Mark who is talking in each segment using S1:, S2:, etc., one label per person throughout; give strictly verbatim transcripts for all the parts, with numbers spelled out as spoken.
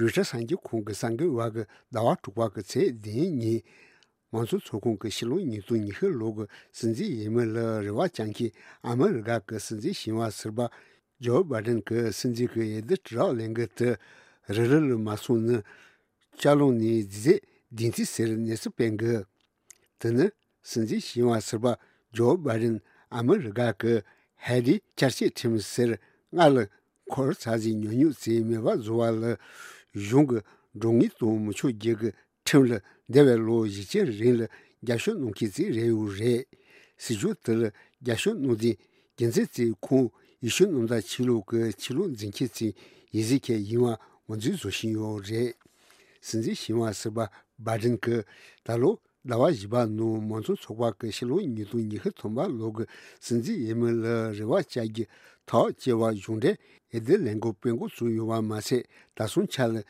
S1: rücha sanji kong sangi wag dawa tukwa ke tse din ni wansu tsokong ke shilo ni tu ni he log sinji yeme le rewa chanki ama riga ke sinji shinwa sirba jo baden ke sinji ke yede tra lenge te rerel masu ne chalong ni dize dinti ser nesu penge tene sinji shinwa sirba jo baden ama riga ke hadi charshi tim ser ngal kor saji nyonyu se meba zuwa le yung rongi to mucho jege timle dewe lo yiche rin le gyasho nungki zi re u re si ju tel gyasho nungdi genze zi kong isho nungda chilo ke chilo zinki zi izi ke yinwa wanzi zo shin yo re sinzi shinwa seba baden ke talo dawa jiba no manzo chokwa ke shilo nido nihe tomba log sinzi yeme le rewa chagi ta jewa yungde ede lengo pengo su yuwa mase dasun chal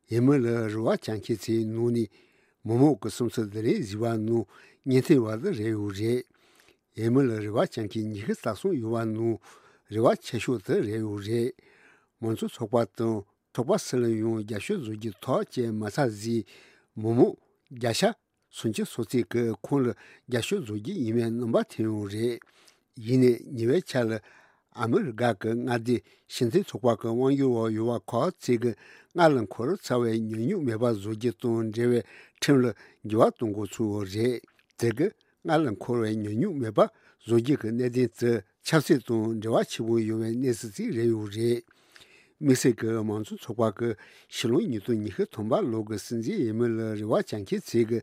S1: yeme le rewa chanki zi nuni momo ke somsa dere ziwa no nyente wada re u re yeme le rewa chanki nihe dasun yuwa no rewa chesho de re u re manzo chokwa to chokwa sele yung gyasho zogi ta je masa zi momo gyasha sunchi sozi ke kong le gyasho zogi ime nomba tenyo re yine niwe chal Amerika ke ngadi shinti chokwa ke wang yuwa yuwa kwa tsige ngalan koro tsawe nyonyu meba zogi ton rewe tenle jiwa tongo tsuwo re tsige ngalan koro nyonyu meba zogi ke nedin tse chapsi ton rewa chibu yuwe nesi zi reyu re Mese ke manzu chokwa ke shilo nito nihe tomba logo sinzi yeme le rewa chanki tsige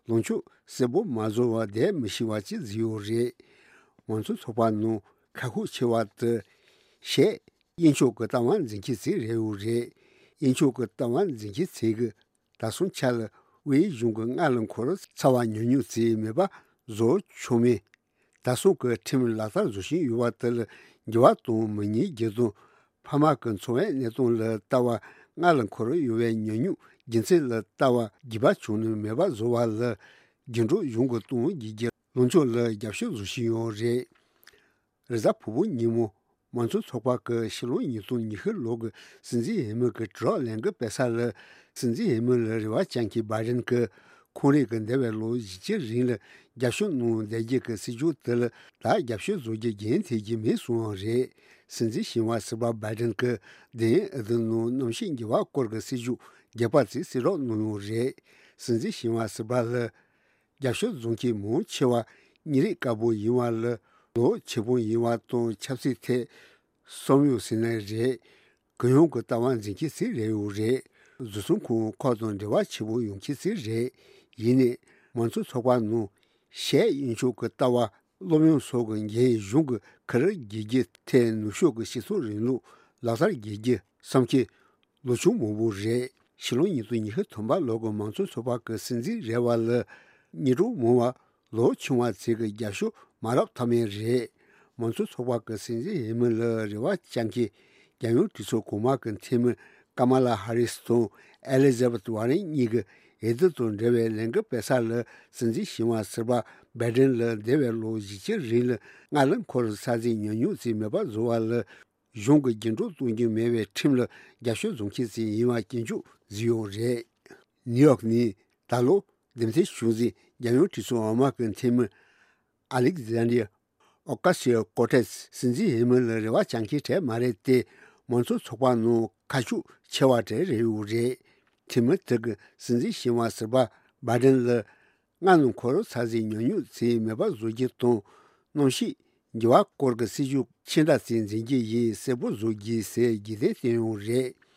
S1: lonchu sebo mazo wa de mishiwa chi ziyo re manzu chokwa no kaku chewa te she insho ke tawan zinki zi reyu re insho ke tawan zinki tsige dasun chal wei yunga ngalan koro tsawa nyonyu zi meba zo chome dasun ke tim lata zoshin yuwa tel jiwa tong meni gezo pama ken tsowe netong le tawa ngalan koro yuwe nyonyu jinsi le tawa giba chunu meba zowa le jinru yunga tong gige loncho le gyapsho zoshin yo re reza pubu nimo manso tsokwa ke shilo nito nihe log sinzi yeme ke zhra lenga pesa le sinzi yeme le rewa chanki barin ke kore ke dewe lo yiche rin le gyapsho no deje ke si ju tel la gyapsho zoge gen teji me suwa re sinzi shinwa siba barin ke den eden no nomshin giwa kor ke si ju gepa zi siro no re sinzi shinwa siba le gyapsho zonki mo chewa niri kabo yiwa le lo chebo yiwa to chapsi te somyo sine re ganyong ke tawan zinki si re u re zusun ku kodon rewa chebo yongki si re yine manso chokwa no she insho ke tawa lomyon sogo ye yung kare gigi te nusho ke shiso rinlu lasar gigi samki lochu mobu re shilo nito nihe tomba logo manso chokwa ke sinzi rewa le niru mowa lo chungwa tsega gyasho marab tame re manso chokwa ke sinzi yeme le rewa chanki gyanyo tiso koma ke teme Kamala Harris to Elizabeth Warren niga ede ton rewe lenga pesa le sinzi shinwa sirba Biden le dewe lo yiche rin le ngalan kor sazi nyonyu zi meba zowa le yonga ginro tongi mewe tim le gyasho zonki zi yinwa ginju ziyo re New York ni talo demse shuzi gyanyo tiso oma ke teme Alexandria Ocasio-Cortez sinzi yeme le rewa chanki te mare te manso chokwa no kashu chewa te reyu re time tege sinzi shinwa sirba Biden le nganon koro sazi nyonyu zi meba zogi ton nonshi jiwa korga si ju chinda sin zingi yi sebo zogi se gide tenyo re